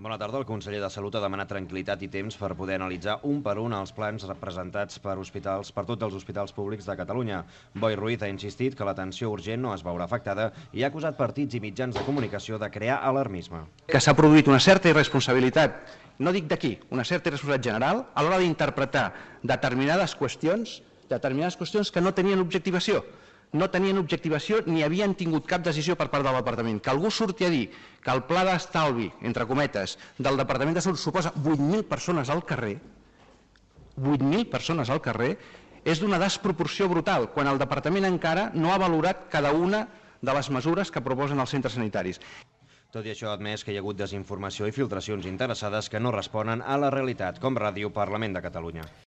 Bona tarda. El conseller de Salut ha demanat tranquil·litat i temps per poder analitzar un per un els plans representats per tots els hospitals públics de Catalunya. Boi Ruiz ha insistit que l'atenció urgent no es veurà afectada i ha acusat partits i mitjans de comunicació de crear alarmisme. Que s'ha produït una certa irresponsabilitat, no dic d'aquí, una certa irresponsabilitat general a l'hora d'interpretar determinades qüestions que no tenien objectivació. No tenien objectivació ni havien tingut cap decisió per part del Departament. Que algú surti a dir que el pla d'estalvi, entre cometes, del Departament de Salut suposa 8.000 persones al carrer, 8.000 persones al carrer, és d'una desproporció brutal, quan el Departament encara no ha valorat cada una de les mesures que proposen els centres sanitaris. Tot i això, ha admès que hi ha hagut desinformació i filtracions interessades que no responen a la realitat, com Ràdio Parlament de Catalunya.